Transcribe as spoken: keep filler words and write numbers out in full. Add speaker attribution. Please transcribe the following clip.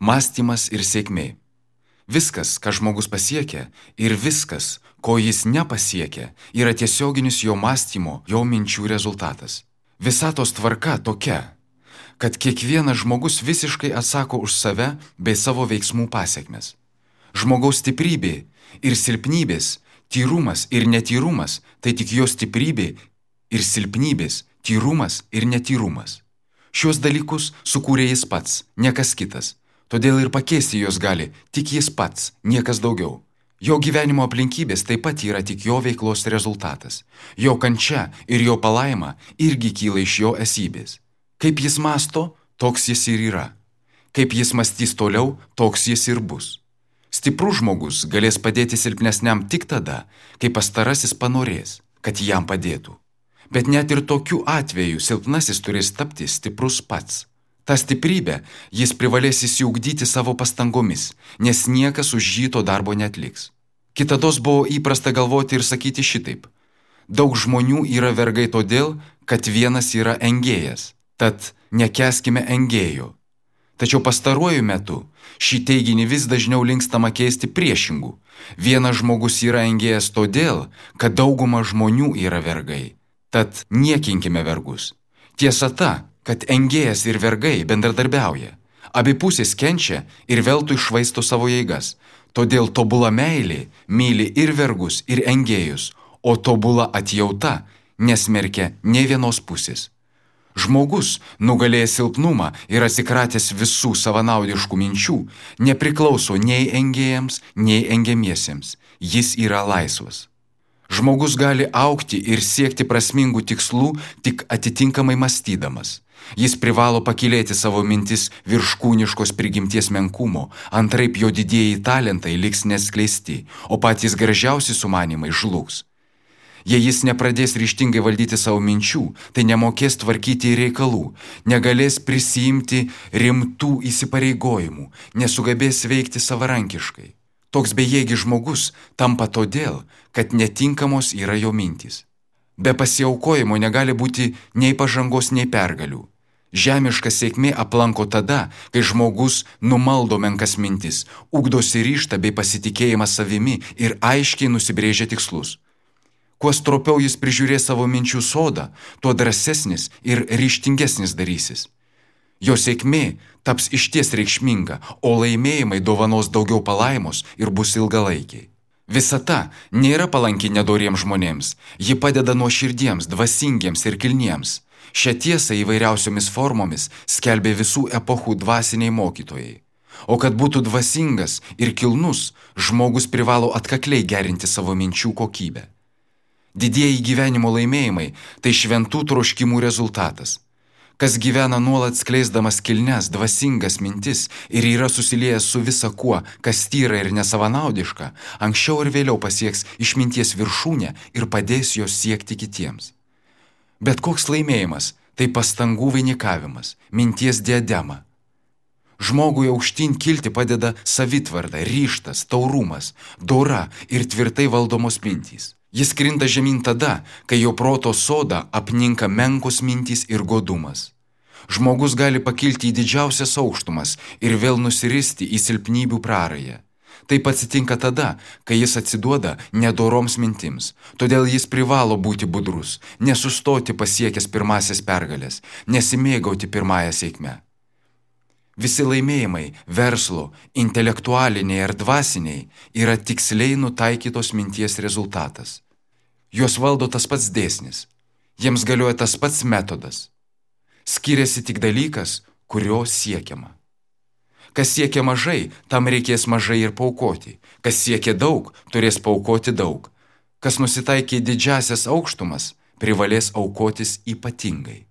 Speaker 1: Mąstymas ir sėkmė. Viskas, ką žmogus pasiekia, ir viskas, ko jis nepasiekia, yra tiesioginis jo mąstymo, jo minčių rezultatas. Visatos tvarka tokia, kad kiekvienas žmogus visiškai atsako už save bei savo veiksmų pasekmes. Žmogaus stiprybė ir silpnybės, tyrumas ir netyrumas, tai tik jo stiprybė ir silpnybės, tyrumas ir netyrumas. Šios dalykus sukūrė jis pats, niekas kitas. Todėl ir pakeisti jos gali tik jis pats, niekas daugiau. Jo gyvenimo aplinkybės taip pat yra tik jo veiklos rezultatas. Jo kančia ir jo palaima irgi kyla iš jo esybės. Kaip jis mąsto, toks jis ir yra. Kaip jis mąstys toliau, toks jis ir bus. Stiprus žmogus galės padėti silpnesniam tik tada, kai pastarasis panorės, kad jam padėtų. Bet net ir tokiu atveju silpnasis turės tapti stiprus pats. Ta stiprybė jis privalės įsiugdyti savo pastangomis, nes niekas už jį to darbo neatliks. Kitados buvo įprasta galvoti ir sakyti šitaip. Daug žmonių yra vergai todėl, kad vienas yra engėjas, tad nekęskime engėjo. Tačiau pastaruoju metu šį teiginį vis dažniau linkstama keisti priešingų. Vienas žmogus yra engėjas todėl, kad dauguma žmonių yra vergai, tad niekinkime vergus. Tiesa ta, kad engėjas ir vergai bendradarbiauja. Abi pusės kenčia ir veltui švaisto savo jėgas. Todėl tobula meilė myli ir vergus, ir engėjus, o tobula atjauta nesmerkia nė vienos pusės. Žmogus, nugalėjęs silpnumą ir atsikratęs visų savanaudiškų minčių, nepriklauso nei engėjams, nei engiamiesiems. Jis yra laisvas. Žmogus gali augti ir siekti prasmingų tikslų tik atitinkamai mąstydamas. Jis privalo pakylėti savo mintis virš kūniškos prigimties menkumo, antraip jo didieji talentai liks neskleisti, o patys gražiausi sumanymai žlugs. Jei jis nepradės ryžtingai valdyti savo minčių, tai nemokės tvarkyti reikalų, negalės prisiimti rimtų įsipareigojimų, nesugebės veikti savarankiškai. Toks bejėgis žmogus tampa todėl, kad netinkamos yra jo mintys. Be pasiaukojimo negali būti nei pažangos, nei pergalių. Žemiška sėkmė aplanko tada, kai žmogus numaldo menkas mintis, ugdosi ryžtą bei pasitikėjimą savimi ir aiškiai nusibrėžia tikslus. Kuo stropiau jis prižiūrės savo minčių sodą, tuo drąsesnis ir ryžtingesnis darysis. Jo sėkmė taps išties reikšminga, o laimėjimai dovanos daugiau palaimos ir bus ilgalaikiai. Visata nėra palanki nedoriems žmonėms, ji padeda nuoširdiems, dvasingiems ir kilniems. Šią tiesą įvairiausiomis formomis skelbė visų epochų dvasiniai mokytojai. O kad būtų dvasingas ir kilnus, žmogus privalo atkakliai gerinti savo minčių kokybę. Didieji gyvenimo laimėjimai tai šventų troškimų rezultatas. Kas gyvena nuolat skleisdamas kilnes, dvasingas mintis ir yra susiliejęs su visa kuo, kas tyra ir nesavanaudiška, anksčiau ir vėliau pasieks išminties viršūnę ir padės jos siekti kitiems. Bet koks laimėjimas tai pastangų vainikavimas, minties diadema. Žmogui aukštyn kilti padeda savitvarda, ryžtas, taurumas, dora ir tvirtai valdomos mintys. Jis krinta žemyn tada, kai jo proto sodą apninka menkos mintys ir godumas. Žmogus gali pakilti į didžiausias aukštumas ir vėl nusiristi į silpnybių prarają. Taip atsitinka tada, kai jis atsiduoda nedoroms mintims. Todėl jis privalo būti budrus, nesustoti pasiekęs pirmasias pergalės, nesimėgauti pirmąją sėkmę. Visi laimėjimai, verslo, intelektualiniai ir dvasiniai yra tiksliai nutaikytos minties rezultatas. Juos valdo tas pats dėsnis, jiems galioja tas pats metodas. Skiriasi tik dalykas, kurio siekiama. Kas siekia mažai, tam reikės mažai ir paaukoti. Kas siekia daug, turės paaukoti daug. Kas nusitaikė didžiasias aukštumas, privalės aukotis ypatingai.